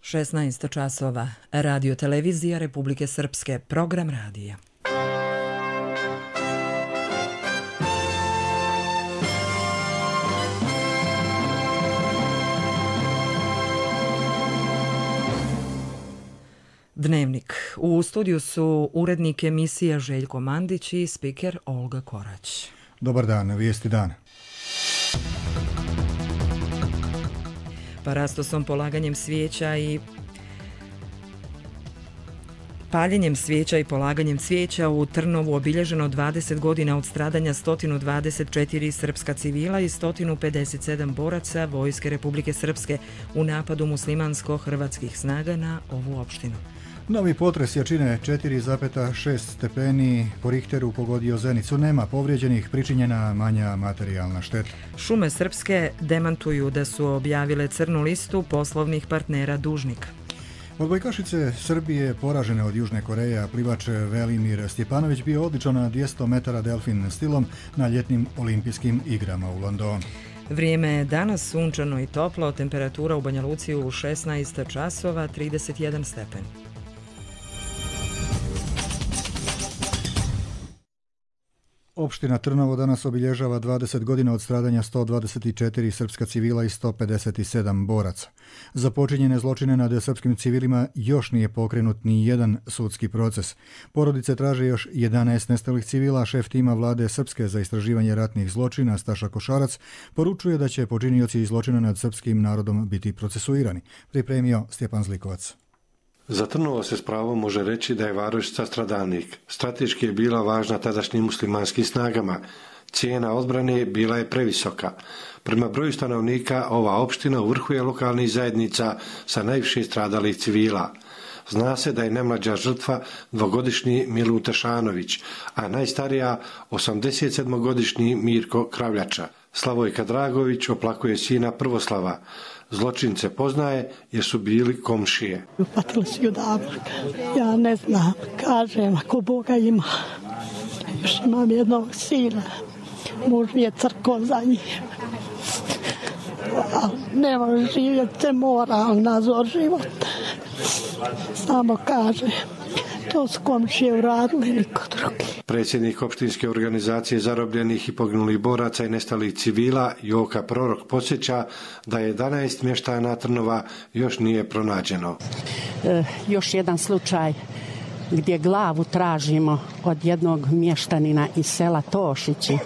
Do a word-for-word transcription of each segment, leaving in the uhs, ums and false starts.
šesnaest časova. Radio televizija Republike Srpske. Program radija. Dnevnik. U studiju su urednik emisija Željko Mandić i spiker Olga Korać. Dobar dan, vijesti dana. Parastosom, polaganjem svijeća i paljenjem svijeća i polaganjem cvijeća u Trnovu obilježeno dvadeset godina od stradanja sto dvadeset četiri srpska civila i sto pedeset sedam boraca Vojske Republike Srpske u napadu muslimansko-hrvatskih snaga na ovu opštinu. Novi potres jačine četiri zarez šest stepeni po Richteru pogodio Zenicu. Nema povrijeđenih, pričinjena manja materijalna šteta. Šume Srpske demantuju da su objavile crnu listu poslovnih partnera dužnika. Odbojkašice Srbije poražene od Južne Koreje, a plivač Velimir Stjepanović bio odličan na dvjesto metara delfin stilom na ljetnim olimpijskim igrama u Londonu. Vrijeme je danas sunčano i toplo, temperatura u Banja Luci u šesnaest časova, trideset jedan stepen. Opština Trnovo danas obilježava dvadeset godina od stradanja sto dvadeset četiri srpska civila i sto pedeset sedam boraca. Za počinjene zločine nad srpskim civilima još nije pokrenut ni jedan sudski proces. Porodice traže još jedanaest nestalih civila, a šef tima vlade Srpske za istraživanje ratnih zločina Staša Košarac poručuje da će počinioci zločina nad srpskim narodom biti procesuirani. Pripremio Stjepan Zlikovac. Za Trnovo se s pravom može reći da je varošica stradalnik. Strateški je bila važna tadašnjim muslimanskim snagama. Cijena odbrane bila je previsoka. Prema broju stanovnika, ova opština u vrhu je lokalnih zajednica sa najviše stradalih civila. Zna se da je najmlađa žrtva dvogodišnji Milu Tešanović, a najstarija osamdesetsedmogodišnji Mirko Kravljača. Slavojka Dragović oplakuje sina Prvoslava. Zločince poznaje jer su bili komšije. Upatili su ju davno. Ja ne znam, kažem, ako Boga ima. Još imam jednog sina. Muž mi je crko za njim. Ne može živjeti, se mora, ali nazor život. Samo kaže, to su komšije uradili, niko drugi. Predsjednik opštinske organizacije zarobljenih i poginulih boraca i nestalih civila Joka Prorok podsjeća da jedanaest mještana Trnova još nije pronađeno. E, još jedan slučaj gdje glavu tražimo od jednog mještanina iz sela Tošići,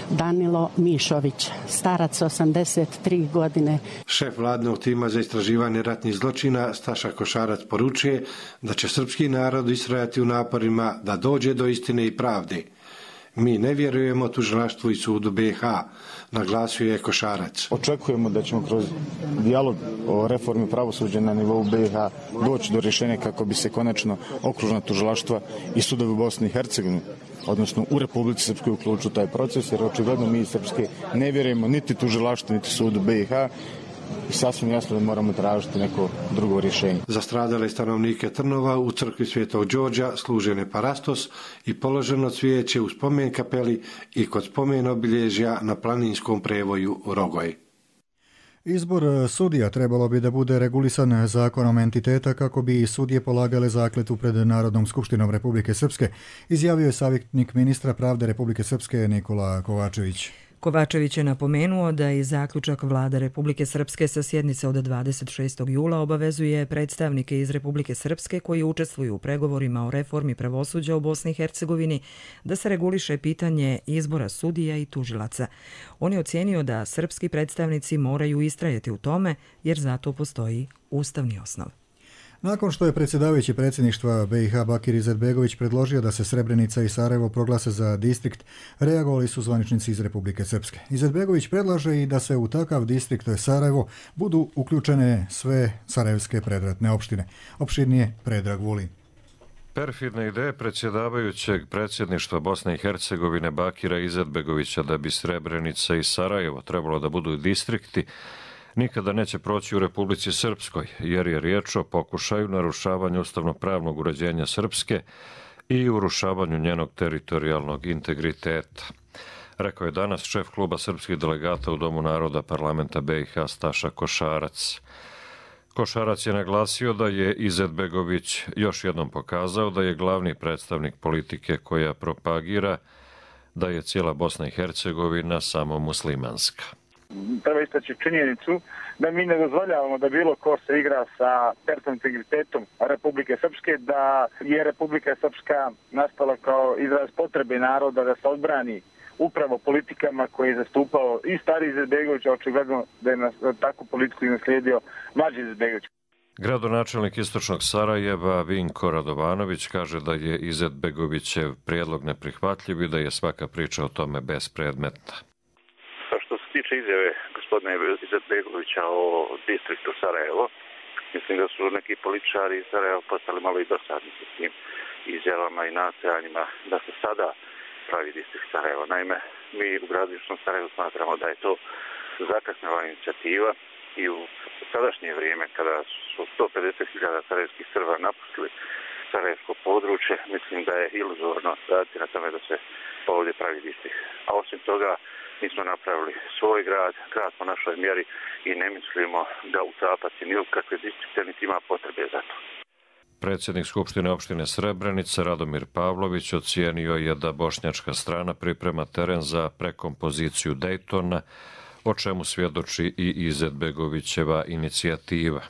Danilo Mišović, starac osamdeset tri godine. Šef vladnog tima za istraživanje ratnih zločina Staša Košarac poručuje da će srpski narod istrajati u naporima da dođe do istine i pravde. Mi ne vjerujemo tužilaštvu i sudu B iH, naglasio je Košarac. Očekujemo da ćemo kroz dijalog o reformi pravosuđa na nivou B iH doći do rješenja kako bi se konačno okružna tužilaštva i sudovi u Bosni i Hercegovini, odnosno u Republici Srpskoj, uključu taj proces, jer očigledno mi iz Srpske ne vjerujemo niti tužilaštvu niti sudu B iH. I sasvim jasno da moramo tražiti neko drugo rješenje. Za stradale stanovnike Trnova u crkvi Svetog Đorđa služen je parastos i položeno cvijeće u spomen kapeli i kod spomen obilježja na planinskom prevoju Rogoj. Izbor sudija trebalo bi da bude regulisan zakonom entiteta kako bi sudije polagale zakletvu pred Narodnom skupštinom Republike Srpske, izjavio je savjetnik ministra pravde Republike Srpske Nikola Kovačević. Kovačević je napomenuo da i zaključak vlade Republike Srpske sa sjednice od dvadeset šestog jula obavezuje predstavnike iz Republike Srpske koji učestvuju u pregovorima o reformi pravosuđa u Bosni i Hercegovini da se reguliše pitanje izbora sudija i tužilaca. On je ocijenio da srpski predstavnici moraju istrajati u tome jer zato postoji ustavni osnov. Nakon što je predsjedavajući predsjedništva B iH Bakir Izetbegović predložio da se Srebrenica i Sarajevo proglase za distrikt, reagovali su zvaničnici iz Republike Srpske. Izetbegović predlaže i da se u takav distrikt Sarajevo budu uključene sve sarajevske predratne opštine. Opširnije Predrag Vulin. Perfidne ideje predsjedavajućeg predsjedništva Bosne i Hercegovine Bakira Izetbegovića da bi Srebrenica i Sarajevo trebalo da budu distrikti nikada neće proći u Republici Srpskoj, jer je riječ o pokušaju narušavanja ustavno-pravnog uređenja Srpske i urušavanju njenog teritorijalnog integriteta. Rekao je danas šef kluba srpskih delegata u Domu naroda parlamenta B iH Staša Košarac. Košarac je naglasio da je Izetbegović još jednom pokazao da je glavni predstavnik politike koja propagira da je cijela Bosna i Hercegovina samo muslimanska. Treba istaći činjenicu da mi ne dozvoljavamo da bilo ko se igra sa teritorijalnim integritetom Republike Srpske, da je Republika Srpska nastala kao izraz potrebe naroda da se odbrani upravo politikama koje je zastupao i stari Izetbegović, a očigledno da je na takvu politiku naslijedio mlađi Izetbegović. Gradonačelnik istočnog Sarajeva Vinko Radovanović kaže da je Izetbegovićev prijedlog neprihvatljiv i da je svaka priča o tome bespredmetna. Što se tiče izjave gospodina Izetbegovića o distriktu Sarajevo, mislim da su neki političari iz Sarajeva postali malo i dosadni s tim izjavama i nastojanjima da se sada pravi distrikt Sarajevo. Naime, mi u gradu Južnom Sarajevu smatramo da je to zakasnela inicijativa i u sadašnje vrijeme kada su sto pedeset hiljada sarajevskih Srba napustili sarajevsko područje, mislim da je iluzorno raditi na tome da se ovdje pravi distrikt. A osim toga, mi smo napravili svoj grad, grad po našoj mjeri i ne mislimo da utapati ni u kakve distrikte, niti ima potrebe za to. Predsjednik Skupštine opštine Srebrenica Radomir Pavlović ocijenio je da bošnjačka strana priprema teren za prekompoziciju Dejtona, o čemu svjedoči i Izetbegovićeva inicijativa.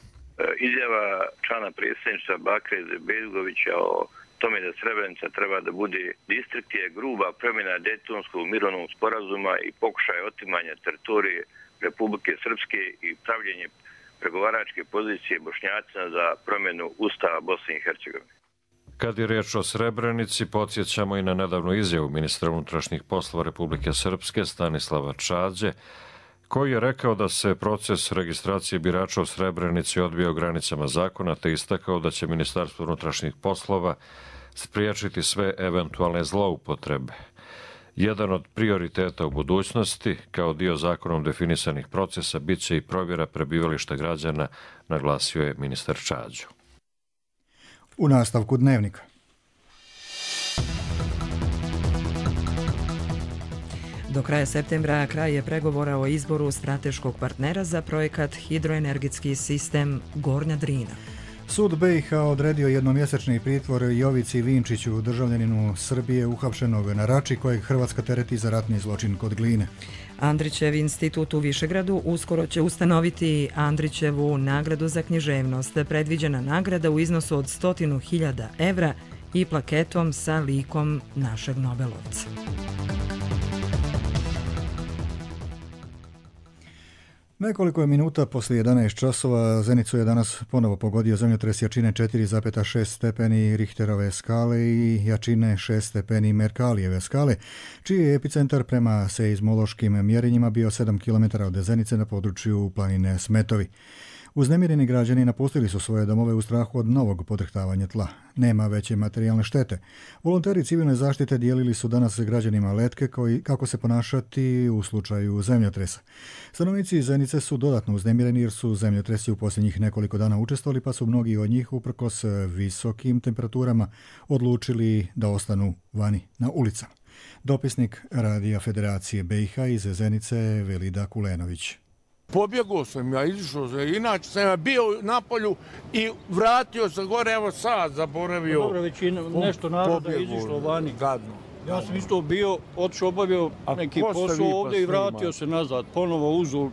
Izjava člana predsjedništva Bakira Izetbegovića o tome da Srebrenica treba da bude distrikt je gruba promjena Dejtonskog mirovnog sporazuma i pokušaj otimanja teritorije Republike Srpske i pravljenje pregovaračke pozicije Bošnjacima za promjenu Ustava Bosne i Hercegovine. Kad je riječ o Srebrenici, podsjećamo i na nedavnu izjavu ministra unutrašnjih poslova Republike Srpske Stanislava Čađe, koji je rekao da se proces registracije birača u Srebrenici odvija u granicama zakona, te istakao da će Ministarstvo unutrašnjih poslova spriječiti sve eventualne zloupotrebe. Jedan od prioriteta u budućnosti, kao dio zakonom definisanih procesa, bit će i provjera prebivališta građana, naglasio je ministar Čađo. U nastavku dnevnika. Do kraja septembra kraj je pregovora o izboru strateškog partnera za projekat hidroenergetski sistem Gornja Drina. Sud B i H odredio jednomjesečni pritvor Jovici Vinčiću, državljaninu Srbije uhapšenog na Rači, kojeg Hrvatska tereti za ratni zločin kod Gline. Andrićev institut u Višegradu uskoro će ustanoviti Andrićevu nagradu za književnost. Predviđena nagrada u iznosu od stotinu hiljada evra i plaketom sa likom našeg Nobelovca. Nekoliko je minuta poslije jedanaest časova Zenicu je danas ponovo pogodio zemljotres jačine četiri zarez šest stepeni Richterove skale i jačine šest stepeni Merkalijeve skale, čiji je epicentar prema seizmološkim mjerenjima bio sedam kilometara od Zenice na području planine Smetovi. Uznemireni građani napustili su svoje domove u strahu od novog podrhtavanja tla. Nema veće materijalne štete. Volonteri civilne zaštite dijelili su danas građanima letke koji, kako se ponašati u slučaju zemljotresa. Stanovnici Zenice su dodatno uznemireni jer su zemljotresi u posljednjih nekoliko dana učestvovali, pa su mnogi od njih uprkos visokim temperaturama odlučili da ostanu vani na ulicama. Dopisnik Radija Federacije B i H iz Zenice Velida Kulenović. Pobjegao sam, ja izišao sam, inače sam ja bio na polju i vratio se gore, evo sad zaboravio. Dobro, većina, nešto naroda je izišlo vani. Gadno. Ja sam isto bio, otišao, obavio neki posao ovdje i vratio se nazad. Ponovo uzul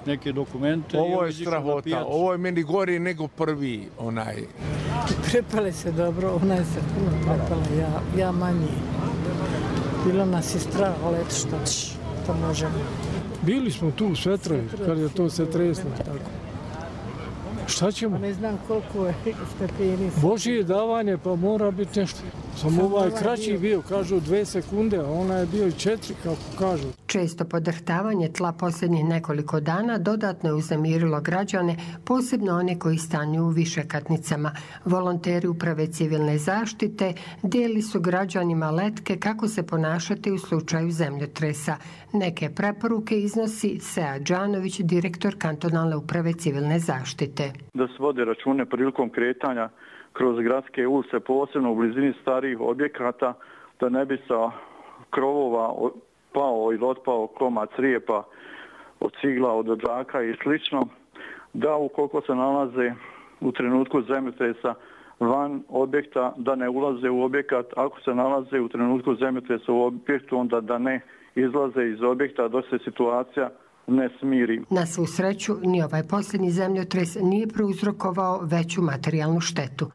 neke dokumente. Ovo je strahota, ovo je meni gori nego prvi onaj. Prepale se dobro, ona je se puno prepala, ja, ja manji. Bilo nas je strah, ali eto što ćeš, to možemo. Bili smo tu u Svetrovi, kad je to se treslo. Tako. Šta ćemo? Ne znam koliko je stepeni. Božije davanje, pa mora biti nešto. Samo ovaj kraći bio, kažu dve sekunde, a ona je bio i četiri, kako kažu. Često podrhtavanje tla posljednjih nekoliko dana dodatno je uznemirilo građane, posebno one koji stanuju u višekatnicama. Volonteri Uprave civilne zaštite dijeli su građanima letke kako se ponašati u slučaju zemljotresa. Neke preporuke iznosi Sead Đanović, direktor kantonalne Uprave civilne zaštite. Da se vode račune prilikom kretanja kroz gradske ulice, posebno u blizini starijih objekata, da ne bi sa krovova pao ili otpao komad crijepa od cigla, od odžaka i slično. da ukoliko se nalaze u trenutku zemljotresa van objekta, da ne ulaze u objekat. Ako se nalaze u trenutku zemljotresa u objektu, onda da ne izlaze iz objekta dok se situacija ne smiri. Na svu sreću, ni ovaj posljednji zemljotres nije prouzrokovao veću materijalnu štetu.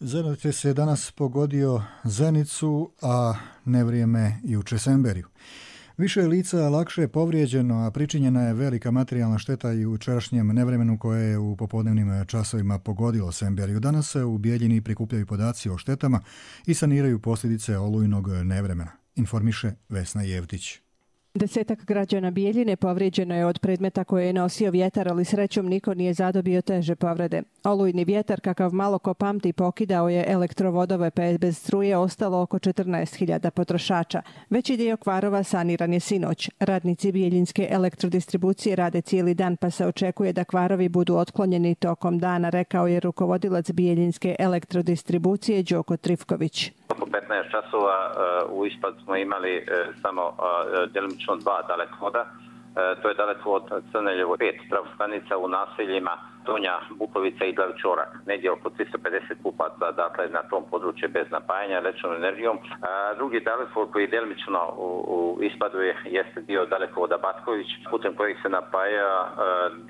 Zemljotres je danas pogodio Zenicu, a nevrijeme juče Semberiju. Više je lica lakše povrijeđeno, a pričinjena je velika materijalna šteta i u jučerašnjem nevremenu koje je u popodnevnim časovima pogodilo Semberiju. Danas se u Bijeljini prikupljaju podaci o štetama i saniraju posljedice olujnog nevremena, informiše Vesna Jevtić. Desetak građana Bijeljine povrijeđeno je od predmeta koje je nosio vjetar, ali srećom niko nije zadobio teže povrede. Olujni vjetar, kakav malo ko pamti, pokidao je elektrovodove, pa je bez struje ostalo oko četrnaest hiljada potrošača. Veći dio kvarova saniran je sinoć. Radnici Bijeljinske elektrodistribucije rade cijeli dan, pa se očekuje da kvarovi budu otklonjeni tokom dana, rekao je rukovodilac Bijeljinske elektrodistribucije Đoko Trifković. Oko petnaest časova u ispad smo imali samo djelomično dva dalekovoda. To je dalekovod Crneljevo pet trafostanica u naseljima Donja Bukovica i Glavičorak. Negdje oko tristo pedeset kupaca, dakle na tom području bez napajanja električnom energijom. A drugi dalekovod koji je djelomično u, u ispadu je, jeste dio dalekovoda Batković, putem kojeg se napaja a,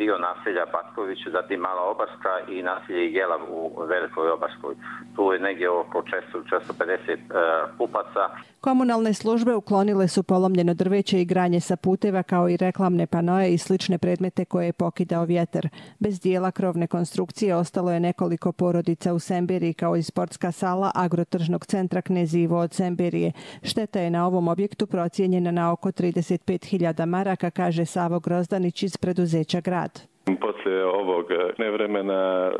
dio naselja Batković, zatim Mala Obarska i naselje Jelav u Velikoj Obarskoj. Tu je negdje oko četiristo pedeset a, kupaca. Komunalne službe uklonile su polomljeno drveće i granje sa puteva, kao i reklamne panoje i slične predmete koje je pokidao vjetar. Bez dijela krovne konstrukcije ostalo je nekoliko porodica u Semberiji, kao i sportska sala Agrotržnog centra Knez Ivo od Semberije. Šteta je na ovom objektu procijenjena na oko trideset pet hiljada maraka, kaže Savo Grozdanić iz preduzeća Grad. Poslije ovog nevremena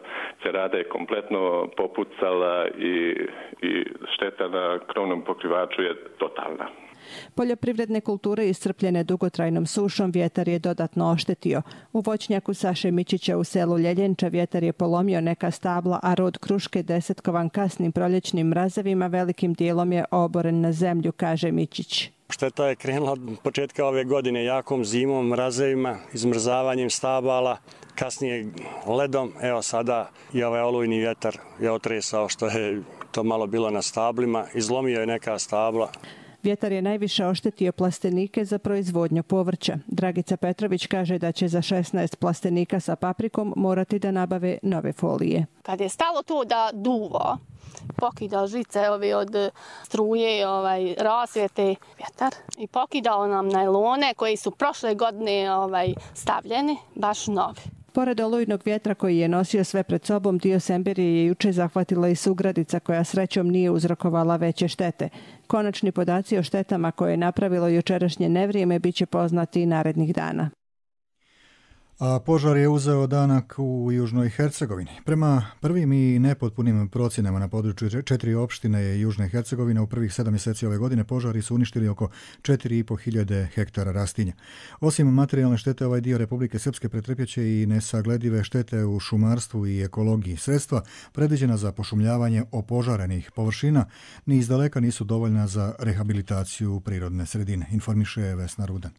cerada je kompletno popucala i, i šteta na krovnom pokrivaču je totalna. Poljoprivredne kulture iscrpljene dugotrajnom sušom vjetar je dodatno oštetio. U voćnjaku Saše Mičića u selu Ljeljenča vjetar je polomio neka stabla, a rod kruške desetkovan kasnim proljećnim mrazevima velikim dijelom je oboren na zemlju, kaže Mičić. Šteta je krenula od početka ove godine jakom zimom, mrazevima, izmrzavanjem stabala, kasnije ledom. Evo sada i ovaj olujni vjetar je otresao što je to malo bilo na stablima, izlomio je neka stabla. Vjetar je najviše oštetio plastenike za proizvodnju povrća. Dragica Petrović kaže da će za šesnaest plastenika sa paprikom morati da nabave nove folije. Kad je stalo to da duva, pokidao žice ovi od struje, ovaj, rasvijete vjetar i pokidao nam najlone koji su prošle godine ovaj, stavljeni, baš novi. Pored olujnog vjetra koji je nosio sve pred sobom, dio Semberije je juče zahvatila i Sugradica, koja srećom nije uzrokovala veće štete. Konačni podaci o štetama koje je napravilo jučerašnje nevrijeme bit će poznati i narednih dana. A požar je uzeo danak u Južnoj Hercegovini. Prema prvim i nepotpunim procjenama na području četiri opštine Južne Hercegovine u prvih sedam mjeseci ove godine požari su uništili oko četiri i pol hiljade hektara rastinja. Osim materijalne štete, ovaj dio Republike Srpske pretrpjeće i nesagledive štete u šumarstvu i ekologiji. Sredstva predviđena za pošumljavanje opožarenih površina ni izdaleka nisu dovoljna za rehabilitaciju prirodne sredine, informiše Vesna Rudan.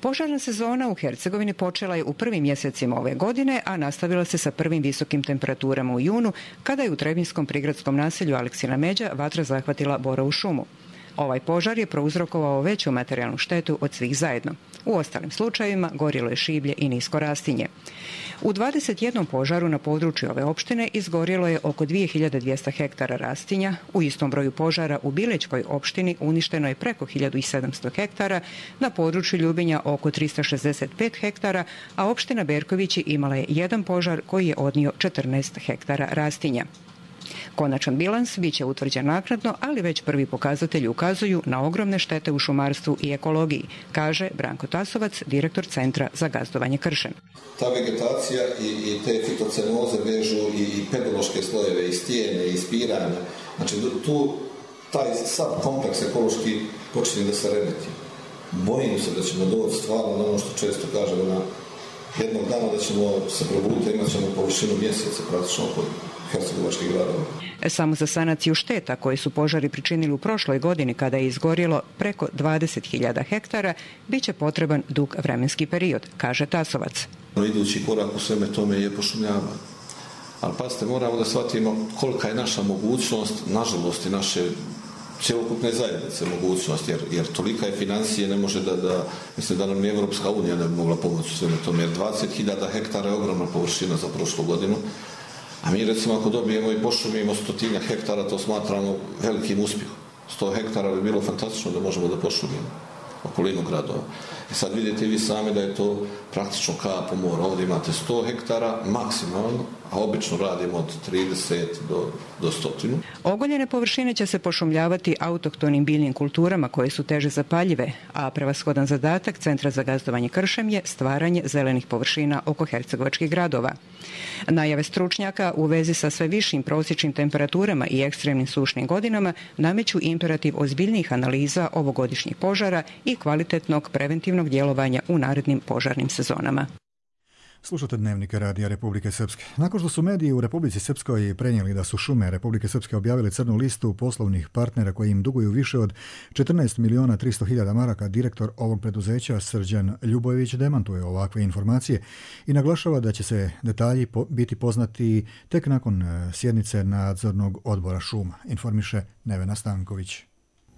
Požarna sezona u Hercegovini počela je u prvim mjesecima ove godine, a nastavila se sa prvim visokim temperaturama u junu, kada je u Trebinskom prigradskom naselju Aleksina Međa vatra zahvatila borovu šumu. Ovaj požar je prouzrokovao veću materijalnu štetu od svih zajedno. U ostalim slučajevima gorilo je šiblje i nisko rastinje. U dvadeset jednom požaru na području ove opštine izgorjelo je oko dvije hiljade dvjesto hektara rastinja, u istom broju požara u Bilećkoj opštini uništeno je preko hiljadu sedamsto hektara, na području Ljubinja oko tristo šezdeset pet hektara, a opština Berkovići imala je jedan požar koji je odnio četrnaest hektara rastinja. Konačan bilans bit će utvrđen naknadno, ali već prvi pokazatelji ukazuju na ogromne štete u šumarstvu i ekologiji, kaže Branko Tasovac, direktor Centra za gazdovanje Kršen. Ta vegetacija i, i te fitocenoze vežu i, i pedološke slojeve, i stijene, i spiranja. Znači tu taj sav kompleks ekološki počinje da se remeti. Bojim se da ćemo doći stvarno na ono što često kažemo na jednog dana da ćemo se probuditi, imat ćemo površinu mjeseca praktično oko hercegovačkih gradova. Samo za sanaciju šteta koje su požari pričinili u prošloj godini, kada je izgorjelo preko dvadeset hiljada hektara, bit će potreban dug vremenski period, kaže Tasovac. Idući korak u sveme tome je pošumljavanje. Ali pazite, moramo da shvatimo kolika je naša mogućnost, nažalost i naše cjelokupne zajednice mogućnost, jer, jer tolika je financije, ne može da, da, mislim da nam ni Evropska unija ne bi mogla pomoći u sveme tome, jer dvadeset hiljada hektara je ogromna površina za prošlu godinu, a mi recimo ako dobijemo i pošumimo stotinja hektara, to smatramo velikim uspjehom. sto hektara bi bilo fantastično da možemo da pošumimo okolinu gradova. I sad vidite vi sami da je to praktično kap u moru. Ovdje imate sto hektara maksimalno, a obično radimo od trideset do, do stotinu. Ogoljene površine će se pošumljavati autohtonim biljnim kulturama koje su teže zapaljive, a prevashodan zadatak Centra za gazdovanje kršem je stvaranje zelenih površina oko hercegovačkih gradova. Najave stručnjaka u vezi sa sve višim prosječnim temperaturama i ekstremnim sušnim godinama nameću imperativ ozbiljnijih analiza ovogodišnjih požara i kvalitetnog preventivnog djelovanja u narednim požarnim sezonama. Slušate Dnevnike Radija Republike Srpske. Nakon što su mediji u Republici Srpskoj prenijeli da su šume Republike Srpske objavili crnu listu poslovnih partnera koji im duguju više od četrnaest miliona tristo hiljada maraka, direktor ovog preduzeća Srđan Ljubojević demantuje ovakve informacije i naglašava da će se detalji po- biti poznati tek nakon sjednice nadzornog odbora šuma, informiše Nevena Stanković.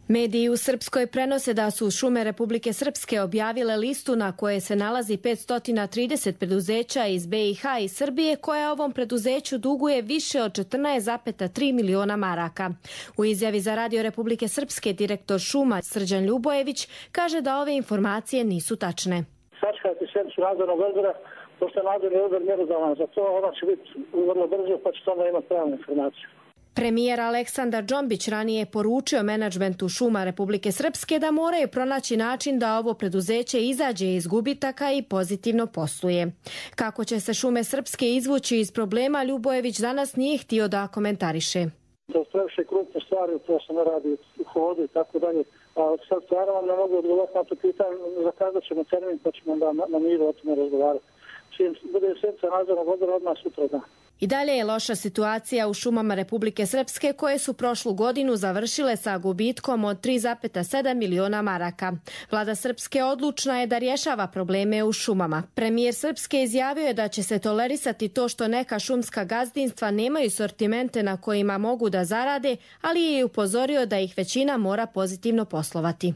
Mediji u Srpskoj prenose da su šume Republike Srpske objavile listu na koje se nalazi petsto trideset preduzeća iz B i H i Srbije koja ovom preduzeću duguje više od četrnaest zarez tri miliona maraka. U izjavi za Radio Republike Srpske direktor šuma Srđan Ljubojević kaže da ove informacije nisu tačne. Sačekajte sjednicu nadzornog odbora, pošto je nadzorni odbor mjerodavan za to, ona će biti vrlo brzo pa će onda imati pravnu informaciju. Premijer Aleksandar Džombić ranije je poručio menadžmentu šuma Republike Srpske da moraju pronaći način da ovo preduzeće izađe iz gubitaka i pozitivno posluje. Kako će se šume Srpske izvući iz problema, Ljubojević danas nije htio da komentariše. To su previše krupne stvari, to se ne radi u hodu i tako dalje. A sad stvarno vam ne mogu odgovoriti na to pitanje, zakazat ćemo termin pa ćemo da na, na miru o tome razgovarati. Čim bude sjednica nadzornog odbora odmah sutra dan. I dalje je loša situacija u šumama Republike Srpske koje su prošlu godinu završile sa gubitkom od tri zarez sedam miliona maraka. Vlada Srpske odlučna je da rješava probleme u šumama. Premijer Srpske izjavio je da će se tolerisati to što neka šumska gazdinstva nemaju sortimente na kojima mogu da zarade, ali je upozorio da ih većina mora pozitivno poslovati.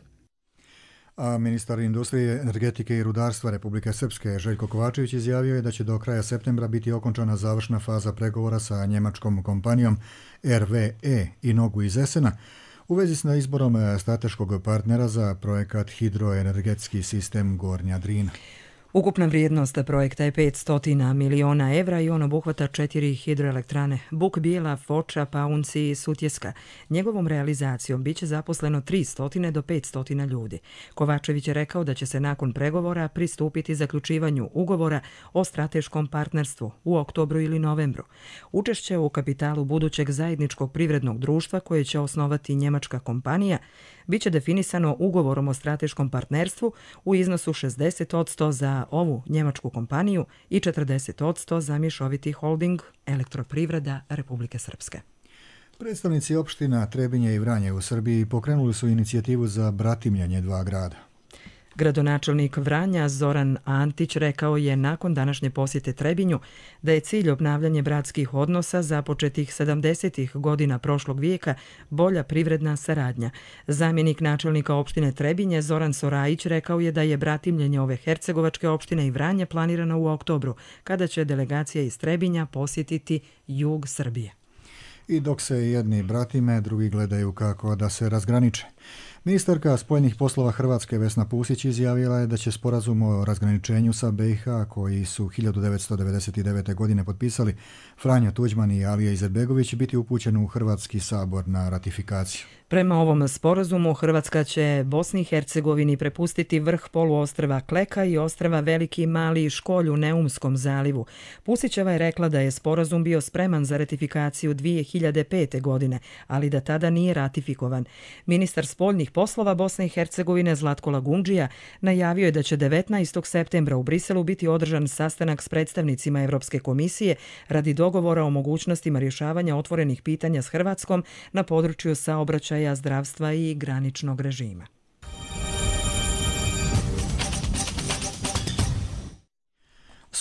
A ministar industrije, energetike i rudarstva Republike Srpske Željko Kovačević izjavio je da će do kraja septembra biti okončana završna faza pregovora sa njemačkom kompanijom R V E i Nogu iz Esena u vezi s izborom strateškog partnera za projekat hidroenergetski sistem Gornja Drina. Ukupna vrijednost projekta je petsto miliona evra i on obuhvata četiri hidroelektrane Buk, Bijela, Foča, Paunci i Sutjeska. Njegovom realizacijom biće zaposleno tristo do petsto ljudi. Kovačević je rekao da će se nakon pregovora pristupiti zaključivanju ugovora o strateškom partnerstvu u oktobru ili novembru. Učešće u kapitalu budućeg zajedničkog privrednog društva koje će osnovati njemačka kompanija biće definisano ugovorom o strateškom partnerstvu u iznosu šezdeset posto za ovu njemačku kompaniju i četrdeset posto za mješoviti holding Elektroprivreda Republike Srpske. Predstavnici opština Trebinje i Vranje u Srbiji pokrenuli su inicijativu za bratimljanje dva grada. Gradonačelnik Vranja Zoran Antić rekao je nakon današnje posjete Trebinju da je cilj obnavljanje bratskih odnosa započetih sedamdesetih godina prošlog vijeka bolja privredna saradnja. Zamjenik načelnika opštine Trebinje Zoran Sorajić rekao je da je bratimljenje ove hercegovačke opštine i Vranje planirano u oktobru, kada će delegacija iz Trebinja posjetiti jug Srbije. I dok se jedni bratime, drugi gledaju kako da se razgraniče. Ministarka spoljnih poslova Hrvatske Vesna Pusić izjavila je da će sporazum o razgraničenju sa B i H koji su hiljadu devetsto devedeset devete. godine potpisali Franjo Tuđman i Alija Izetbegović biti upućen u Hrvatski sabor na ratifikaciju. Prema ovom sporazumu Hrvatska će Bosni i Hercegovini prepustiti vrh poluostrva Kleka i ostrva Veliki i Mali Školj u Neumskom zalivu. Pusićeva je rekla da je sporazum bio spreman za ratifikaciju dvije hiljade pete. godine, ali da tada nije ratifikovan. Ministar spoljnih poslova Bosne i Hercegovine Zlatko Lagundžija najavio je da će devetnaestog septembra u Briselu biti održan sastanak s predstavnicima Evropske komisije radi dogovora o mogućnostima rješavanja otvorenih pitanja s Hrvatskom na području saobraćaja, zdravstva i graničnog režima.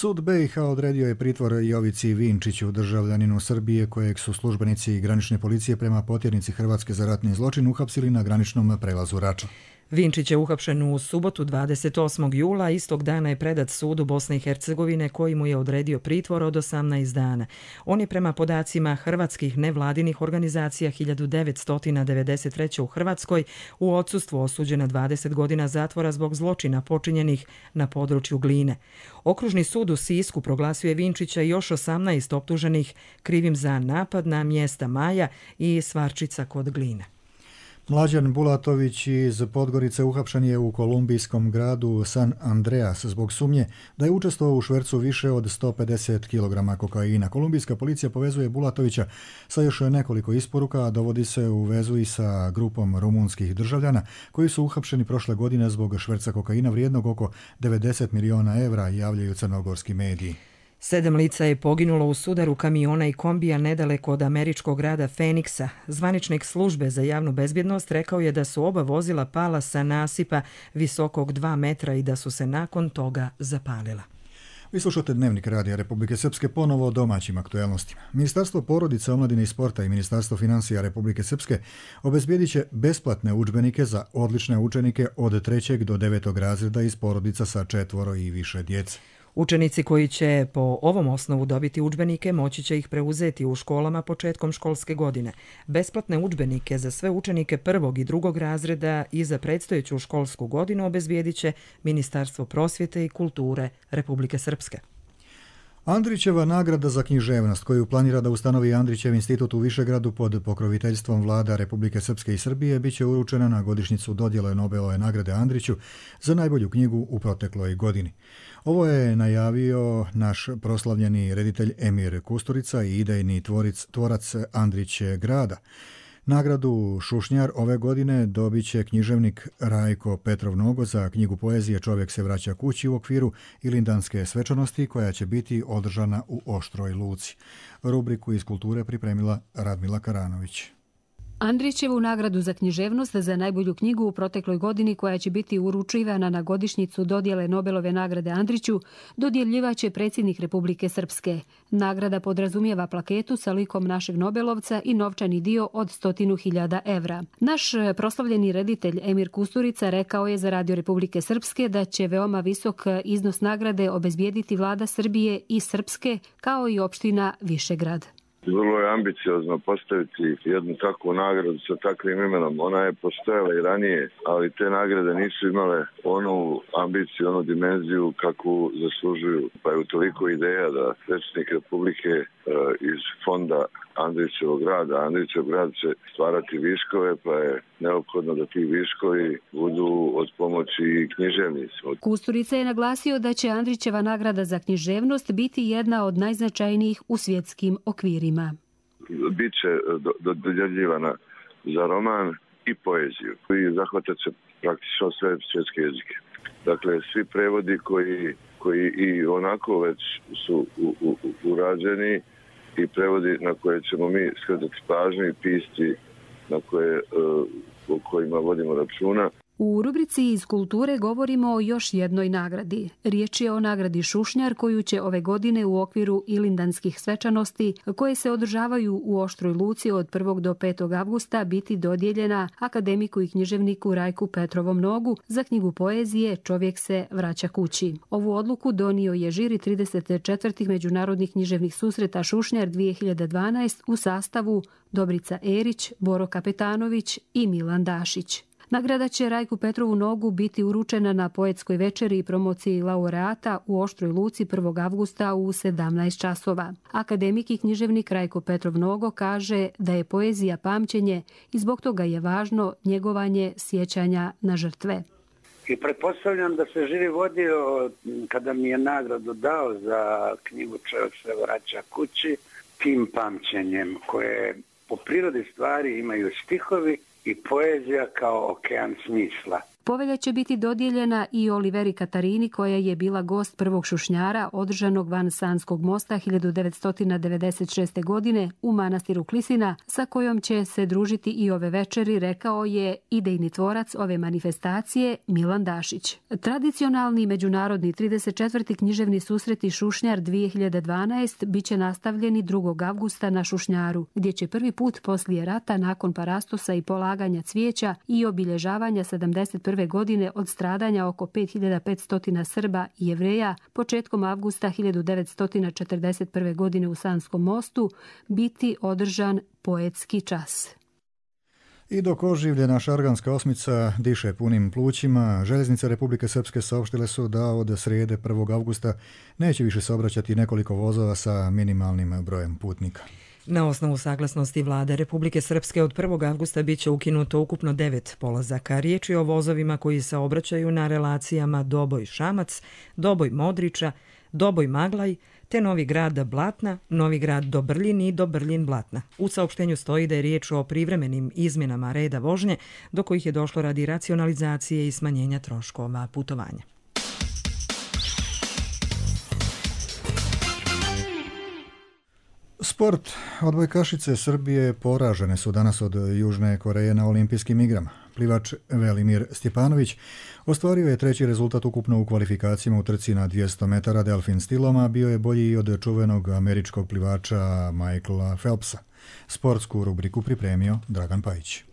Sud B i H odredio je pritvor Jovici Vinčiću, državljaninu Srbije kojeg su službenici granične policije prema potjernici Hrvatske za ratni zločin uhapsili na graničnom prelazu Rača. Vinčić je uhapšen u subotu dvadeset osmog jula, istog dana je predat sudu Bosne i Hercegovine koji mu je odredio pritvor od osamnaest dana. On je prema podacima hrvatskih nevladinih organizacija hiljadu devetsto devedeset treće. u Hrvatskoj u odsustvu osuđen na dvadeset godina zatvora zbog zločina počinjenih na području Gline. Okružni sud u Sisku proglasio je Vinčića i još osamnaest optuženih krivim za napad na mjesta Maja i Svarčica kod Gline. Mlađan Bulatović iz Podgorice uhapšen je u kolumbijskom gradu San Andreas zbog sumnje da je učestvovao u švercu više od sto pedeset kilograma kokaina. Kolumbijska policija povezuje Bulatovića sa još nekoliko isporuka, a dovodi se u vezu i sa grupom rumunskih državljana koji su uhapšeni prošle godine zbog šverca kokaina vrijednog oko devedeset miliona evra, javljaju crnogorski mediji. Sedam lica je poginulo u sudaru kamiona i kombija nedaleko od američkog grada Feniksa. Zvaničnik službe za javnu bezbjednost rekao je da su oba vozila pala sa nasipa visokog dva metra i da su se nakon toga zapalila. Vi slušate Dnevnik Radija Republike Srpske, ponovo o domaćim aktuelnostima. Ministarstvo porodice, omladine i sporta i Ministarstvo financija Republike Srpske obezbijedit će besplatne udžbenike za odlične učenike od trećeg do devetog razreda iz porodica sa četvoro i više djece. Učenici koji će po ovom osnovu dobiti udžbenike moći će ih preuzeti u školama početkom školske godine. Besplatne udžbenike za sve učenike prvog i drugog razreda i za predstojeću školsku godinu obezbijedit će Ministarstvo prosvjete i kulture Republike Srpske. Andrićeva nagrada za književnost koju planira da ustanovi Andrićev institut u Višegradu pod pokroviteljstvom vlada Republike Srpske i Srbije biće uručena na godišnjicu dodjele Nobelove nagrade Andriću za najbolju knjigu u protekloj godini. Ovo je najavio naš proslavljeni reditelj Emir Kusturica i idejni tvoric, tvorac Andrić grada. Nagradu Šušnjar ove godine dobit će književnik Rajko Petrov Nogo za knjigu poezije Čovjek se vraća kući u okviru Ilindanske svečanosti koja će biti održana u Oštroj Luci. Rubriku iz kulture pripremila Radmila Karanović. Andrićevu nagradu za književnost za najbolju knjigu u protekloj godini koja će biti uručivana na godišnjicu dodjele Nobelove nagrade Andriću dodjeljivaće predsjednik Republike Srpske. Nagrada podrazumijeva plaketu sa likom našeg Nobelovca i novčani dio od stotinu hiljada evra. Naš proslavljeni reditelj Emir Kusturica rekao je za Radio Republike Srpske da će veoma visok iznos nagrade obezbijediti vlada Srbije i Srpske kao i opština Višegrad. Vrlo je ambiciozno postaviti jednu takvu nagradu sa takvim imenom. Ona je postojala i ranije, ali te nagrade nisu imale onu ambiciju, onu dimenziju kakvu zaslužuju. Pa je u toliko ideja da predsjednik Republike e, iz fonda Andrićevog grada, Andrićev grad će stvarati viškove, pa je neophodno da ti viškovi budu od pomoći književnicima. Kusturica je naglasio da će Andrićeva nagrada za književnost biti jedna od najznačajnijih u svjetskim okvirima. Biće dodjeljivana za roman i poeziju i zahvatat će praktično sve svjetske jezike. Dakle, svi prevodi koji, koji i onako već su u, u, urađeni i prevodi na koje ćemo mi skretati pažnju i pisci na koje, o kojima vodimo računa. U rubrici iz kulture govorimo o još jednoj nagradi. Riječ je o nagradi Šušnjar koju će ove godine u okviru Ilindanskih svečanosti koje se održavaju u Oštroj Luci od prvog do petog avgusta biti dodijeljena akademiku i književniku Rajku Petrovom Nogu za knjigu poezije Čovjek se vraća kući. Ovu odluku donio je žiri trideset četvrtih međunarodnih književnih susreta Šušnjar dvije hiljade dvanaeste u sastavu Dobrica Erić, Boro Kapetanović i Milan Dašić. Nagrada će Rajku Petrovu Nogu biti uručena na poetskoj večeri i promociji laureata u Oštroj Luci prvog avgusta u sedamnaest časova. Akademik i književnik Rajko Petrov Nogo kaže da je poezija pamćenje i zbog toga je važno njegovanje sjećanja na žrtve. I pretpostavljam da se žiri vodio kada mi je nagradu dao za knjigu Čovjek se vraća kući tim pamćenjem koje po prirodi stvari imaju stihovi i poezija kao okean smisla. Povelja će biti dodijeljena i Oliveri Katarini, koja je bila gost prvog šušnjara održanog van Sanskog mosta hiljadu devetsto devedeset šeste. godine u manastiru Klisina, sa kojom će se družiti i ove večeri, rekao je idejni tvorac ove manifestacije Milan Dašić. Tradicionalni međunarodni trideset četvrti književni susreti Šušnjar dvije hiljade dvanaeste biće nastavljeni drugog avgusta na Šušnjaru, gdje će prvi put poslije rata, nakon parastosa i polaganja cvijeća i obilježavanja sedamdeset prve. godine od stradanja oko pet hiljada petsto Srba i Jevreja početkom avgusta hiljadu devetsto četrdeset prve. godine u Sanskom mostu biti održan poetski čas. I dok oživljena šarganska osmica diše punim plućima, željeznice Republike Srpske saopštile su da od srijede prvog avgusta neće više saobraćati nekoliko vozova sa minimalnim brojem putnika. Na osnovu saglasnosti Vlade Republike Srpske od prvog avgusta biće ukinuto ukupno devet polazaka. Riječ je o vozovima koji se obraćaju na relacijama Doboj-Šamac, Doboj-Modriča, Doboj-Maglaj, te Novi Grad Blatna, Novi Grad Dobrljin i Dobrljin Blatna. U saopštenju stoji da je riječ o privremenim izmjenama reda vožnje, do kojih je došlo radi racionalizacije i smanjenja troškova putovanja. Sport. Odbojkašice Srbije poražene su danas od Južne Koreje na olimpijskim igrama. Plivač Velimir Stjepanović ostvario je treći rezultat ukupno u kvalifikacijama u trci na dvjesto metara delfin stilom, a bio je bolji i od čuvenog američkog plivača Michaela Phelpsa. Sportsku rubriku pripremio Dragan Pajić.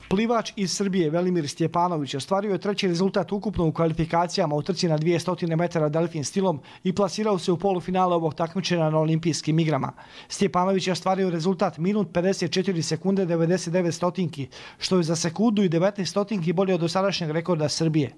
Plivač iz Srbije Velimir Stjepanović ostvario je treći rezultat ukupno u kvalifikacijama u trci na dvjesto metara delfin stilom i plasirao se u polufinale ovog takmičenja na olimpijskim igrama. Stjepanović je ostvario rezultat minut pedeset četiri sekunde devedeset devet stotinki, što je za sekundu i devetnaest stotinki bolje od dosadašnjeg rekorda Srbije.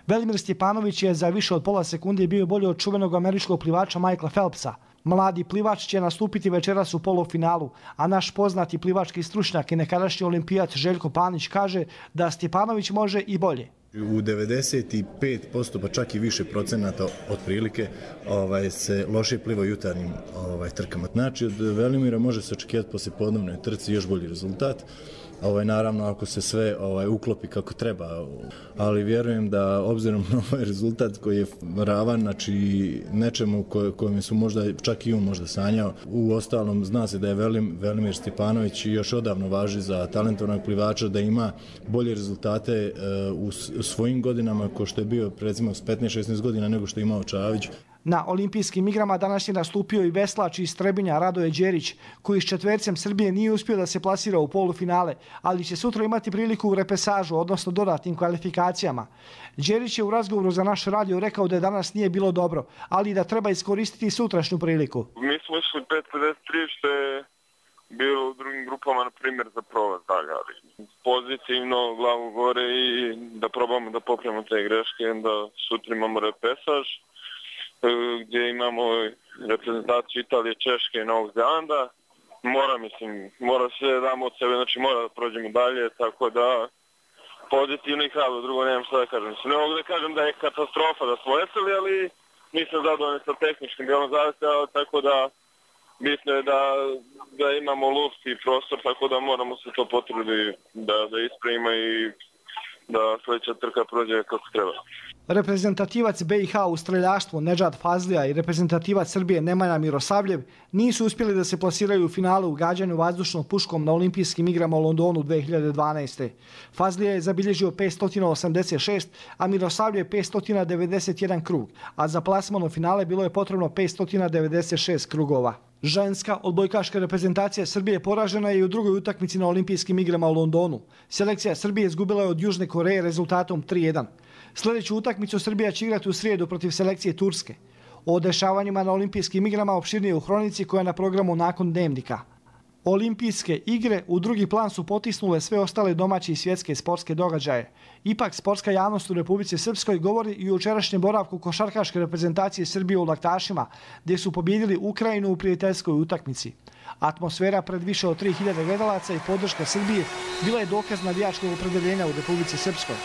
Velimir Stjepanović je za više od pola sekunde bio bolje od čuvenog američkog plivača Michaela Phelpsa. Mladi plivač će nastupiti večeras u polufinalu, a naš poznati plivački stručnjak i nekadašnji olimpijac Željko Panić kaže da Stjepanović može i bolje. U devedeset pet posto pa čak i više procenata otprilike ovaj, se loše pliva u jutarnjim ovaj, trkama. Znači od Velimira može se očekivati poslije podnevne trci još bolji rezultat. Ovaj, naravno ako se sve ovaj, uklopi kako treba, ali vjerujem da obzirom na ovaj rezultat koji je ravan, znači nečemu ko, kojem su možda čak i on možda sanjao. U ostalom zna se da je Velim, Velimir Stjepanović još odavno važi za talentovanog plivača, da ima bolje rezultate e, u, u svojim godinama ko što je bio recimo s petnaest šesnaest godina nego što je imao Čavić. Na olimpijskim igrama danas je nastupio i veslač iz Trebinja Radoje Đerić, koji s četvercem Srbije nije uspio da se plasira u polufinale, ali će sutra imati priliku u repesažu, odnosno dodatnim kvalifikacijama. Đerić je u razgovoru za naš radio rekao da danas nije bilo dobro, ali da treba iskoristiti sutrašnju priliku. Mi smo išli pet pedeset tri, što je bilo u drugim grupama, na primjer, za prolaz dalje, ali pozitivno, glavu gore i da probamo da popravimo te greške, da sutra imamo repesaž, gdje imamo reprezentaciju Italije, Češke i Novog Zelanda. Mora, mislim, mora sve damo od sebe, znači mora da prođemo dalje, tako da pozitivno i hrabro, drugo nemam što da kažem. Mislim, ne mogu da kažem da je katastrofa da smo veseli, ali nisam zadovoljni sa tehničkim dijelom zavisno, tako da bitno je da, da imamo luft i prostor, tako da moramo se to potruditi da, da ispravimo i da sljedeća trka prođe kako treba. Reprezentativac B i H u streljaštvu Nedžad Fazlija i reprezentativac Srbije Nemanja Mirosavljev nisu uspjeli da se plasiraju u finalu u gađanju vazdušnom puškom na olimpijskim igrama u Londonu dvije hiljade dvanaeste. Fazlija je zabilježio petsto osamdeset šest, a Mirosavljev petsto devedeset jedan krug, a za plasman u finale bilo je potrebno petsto devedeset šest krugova. Ženska odbojkaška reprezentacija Srbije poražena je i u drugoj utakmici na olimpijskim igrama u Londonu. Selekcija Srbije izgubila je od Južne Koreje rezultatom tri jedan. Sljedeću utakmicu Srbija će igrati u srijedu protiv selekcije Turske. O dešavanjima na olimpijskim igrama opširnije u hronici koja je na programu nakon dnevnika. Olimpijske igre u drugi plan su potisnule sve ostale domaće i svjetske sportske događaje. Ipak sportska javnost u Republici Srpskoj govori i o jučerašnjem boravku košarkaške reprezentacije Srbije u Laktašima, gdje su pobjedili Ukrajinu u prijateljskoj utakmici. Atmosfera pred više od tri hiljade gledalaca i podrška Srbije bila je dokaz navijačkog opredeljenja u Republici Srpskoj.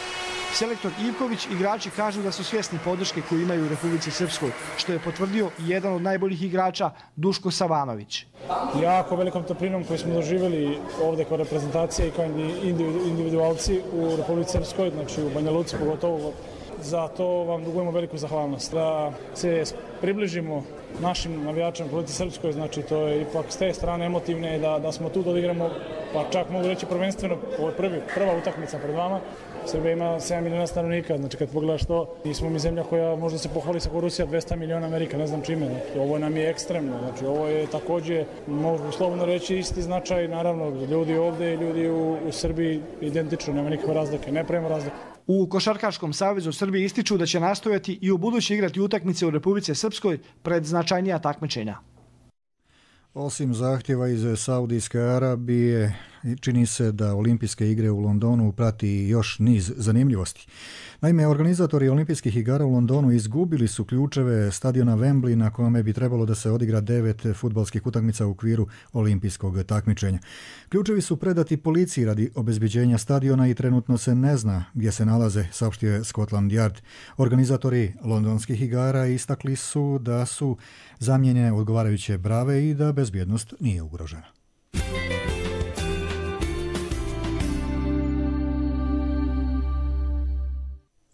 Selektor Ivković i igrači kažu da su svjesni podrške koju imaju u Republici Srpskoj, što je potvrdio i jedan od najboljih igrača Duško Savanović. Jako velikom toplinom koju smo doživjeli ovdje kao reprezentacija i kao individualci u Republici Srpskoj, znači u Banja Luci pogotovo. Za to vam dugujemo veliku zahvalnost. Da se približimo našim navijačima u Republici Srpskoj, znači to je ipak s te strane emotivne, da, da smo tu da odigramo, pa čak mogu reći prvenstveno, ovo je prvi, prva utakmica pred vama. Srbija ima sedam miliona stanovnika, znači kad pogledaš to, mi smo mi zemlja koja možda se pohvali sa Rusija dvesta miliona, Amerika, ne znam čime. Znači, ovo nam je ekstremno, znači ovo je također, mogu slobodno reći, isti značaj, naravno, ljudi ovdje i ljudi u, u Srbiji identično, nema nikakve razlike, ne pravimo razlike. U Košarkaškom savezu Srbije ističu da će nastojati i u budući igrati utakmice u Republici Srpskoj pred značajnija takmičenja. Osim zahtjeva iz Saudijske Arabije, čini se da olimpijske igre u Londonu prati još niz zanimljivosti. Naime, organizatori olimpijskih igara u Londonu izgubili su ključeve stadiona Wembley na kome bi trebalo da se odigra devet fudbalskih utakmica u okviru olimpijskog takmičenja. Ključevi su predati policiji radi obezbeđenja stadiona i trenutno se ne zna gdje se nalaze, saopštio je Scotland Yard. Organizatori londonskih igara istakli su da su zamijenjene odgovarajuće brave i da bezbjednost nije ugrožena.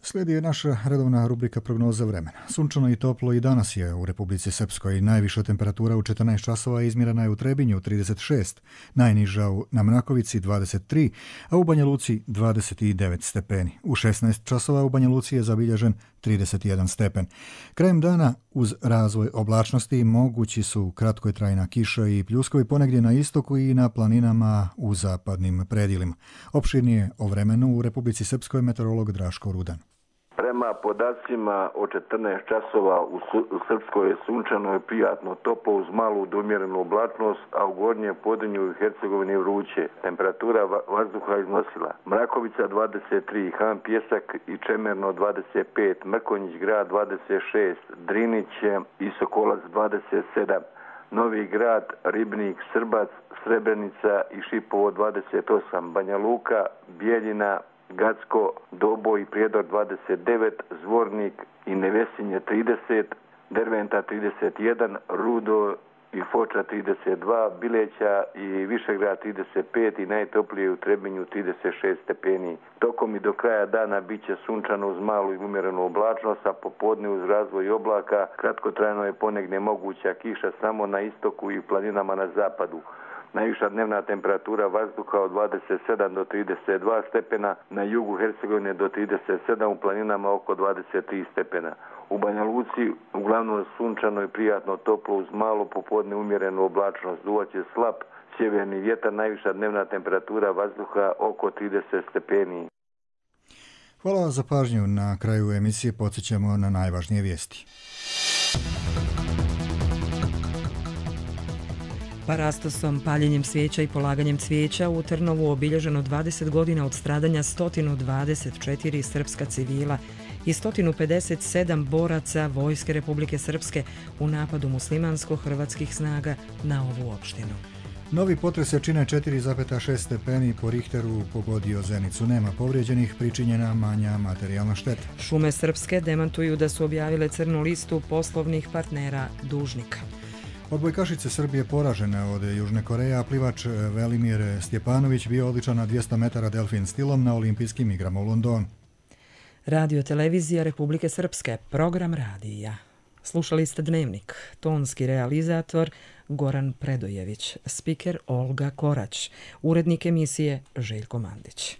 Slijedi je naša redovna rubrika prognoza vremena. Sunčano i toplo i danas je u Republici Srpskoj. Najviša temperatura u četrnaest časova izmjerena je u Trebinju trideset šest, najniža na Mrakovici dvadeset tri, a u Banja Luci dvadeset devet stepeni. U šesnaest časova u Banja Luci je zabilježen trideset jedan stepen. Krajem dana uz razvoj oblačnosti mogući su kratkotrajna kiša i pljuskovi ponegdje na istoku i na planinama u zapadnim predjelima. Opširnije o vremenu u Republici Srpskoj meteorolog Draško Rudan. Prema podacima od četrnaest časova u Srpskoj je sunčano i prijatno toplo uz malu do umjerenu oblačnost, a u gornjem Podrinju i Hercegovini vruće. Temperatura vazduha iznosila Mrakovica dvadeset tri, Han Pjesak i Čemerno dvadeset pet, Mrkonjić grad dvadeset šest, Drinić i Sokolac dvadeset sedam, Novi grad, Ribnik, Srbac, Srebrenica i Šipovo dvadeset osam, Banja Luka, Bijeljina, Gacko, Doboj i Prijedor dvadeset devet, Zvornik i Nevesinje trideset, Derventa trideset jedan, Rudo i Foča trideset dva, Bileća i Višegrad trideset pet i najtoplije u Trebinju trideset šest stepeni. Tokom i do kraja dana bit će sunčano uz malu i umjerenu oblačnost, a popodne uz razvoj oblaka. Kratkotrajno je ponegdje moguća kiša samo na istoku i planinama na zapadu. Najviša dnevna temperatura vazduha od dvadeset sedam do trideset dva stepena, na jugu Hercegovine do trideset sedam, u planinama oko dvadeset tri stepena. U Banja Luci uglavnom sunčano i prijatno toplo uz malo popodne umjerenu oblačnost. Duvaće slab sjeverni vjetar, najviša dnevna temperatura vazduha oko trideset stepeni. Hvala za pažnju. Na kraju emisije podsjećamo na najvažnije vijesti. Parastosom, paljenjem svijeća i polaganjem cvijeća u Trnovu obilježeno dvadeset godina od stradanja sto dvadeset četiri srpska civila i sto pedeset sedam boraca Vojske Republike Srpske u napadu muslimansko-hrvatskih snaga na ovu opštinu. Novi potres jačine četiri zarez šest stepeni po Richteru pogodio Zenicu. Nema povrijeđenih, pričinjena manja materijalna šteta. Šume Srpske demantuju da su objavile crnu listu poslovnih partnera dužnika. Odbojkašice Srbije poražene od Južne Koreje, a plivač Velimir Stjepanović bio odličan na dvjesto metara delfin stilom na olimpijskim igrama u Londonu. Radio televizija Republike Srpske, program radija. Slušali ste Dnevnik, tonski realizator Goran Predojević, spiker Olga Korać, urednik emisije Željko Mandić.